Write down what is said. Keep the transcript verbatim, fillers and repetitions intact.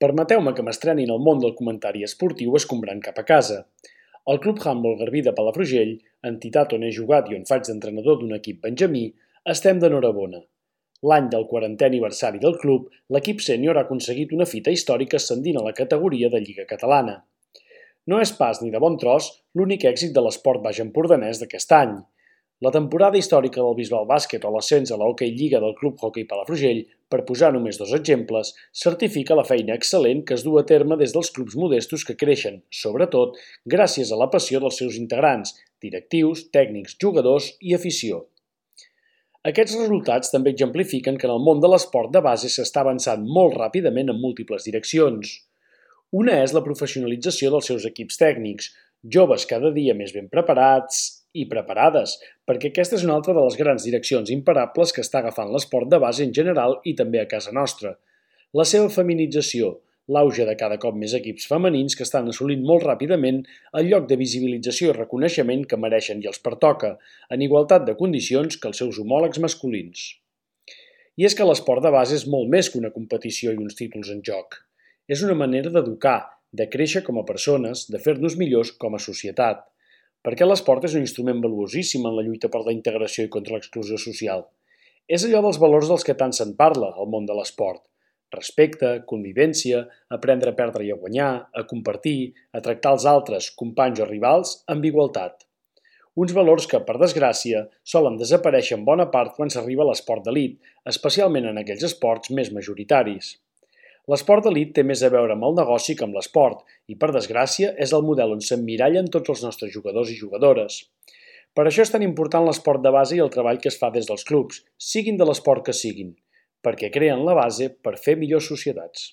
Permeteu-me que m'estreni en el món del comentari esportiu escombrant cap a casa. El Club Handbol Garbí de Palafrugell, entitat on he jugat i on faig d'entrenador d'un equip benjamí, estem d'enhorabona. L'any del quarantè aniversari del club, l'equip sènior ha aconseguit una fita històrica ascendint a la categoria de Lliga Catalana. No és pas ni de bon tros l'únic èxit de l'esport baix empordanès d'aquest any. La temporada històrica del Bisbal Bàsquet o l'ascens a l'Hockey Lliga del Club Hockey Palafrugell, per posar només dos exemples, certifica la feina excel·lent que es du a terme des dels clubs modestos que creixen, sobretot, gràcies a la passió dels seus integrants, directius, tècnics, jugadors i afició. Aquests resultats també exemplifiquen que en el món de l'esport de base s'està avançant molt ràpidament en múltiples direccions. Una és la professionalització dels seus equips tècnics, joves cada dia més ben preparats i preparades, perquè aquesta és una altra de les grans direccions imparables que està agafant l'esport de base en general i també a casa nostra. La seva feminització, l'auge de cada cop més equips femenins que estan assolint molt ràpidament el lloc de visibilització i reconeixement que mereixen i els pertoca, en igualtat de condicions que els seus homòlegs masculins. I és que l'esport de base és molt més que una competició i uns títols en joc. És una manera d'educar, de créixer com a persones, de fer-nos millors com a societat. Perquè l'esport és un instrument valuosíssim en la lluita per la integració i contra l'exclusió social. És allò dels valors dels que tant se'n parla, al món de l'esport. Respecte, convivència, aprendre a perdre i a guanyar, a compartir, a tractar els altres, companys o rivals, amb igualtat. Uns valors que, per desgràcia, solen desaparèixer en bona part quan s'arriba a l'esport d'elit, especialment en aquells esports més majoritaris. L'esport d'elit té més a veure amb el negoci que amb l'esport i, per desgràcia, és el model on s'emmirallen tots els nostres jugadors i jugadores. Per això és tan important l'esport de base i el treball que es fa des dels clubs, siguin de l'esport que siguin, perquè creen la base per fer millors societats.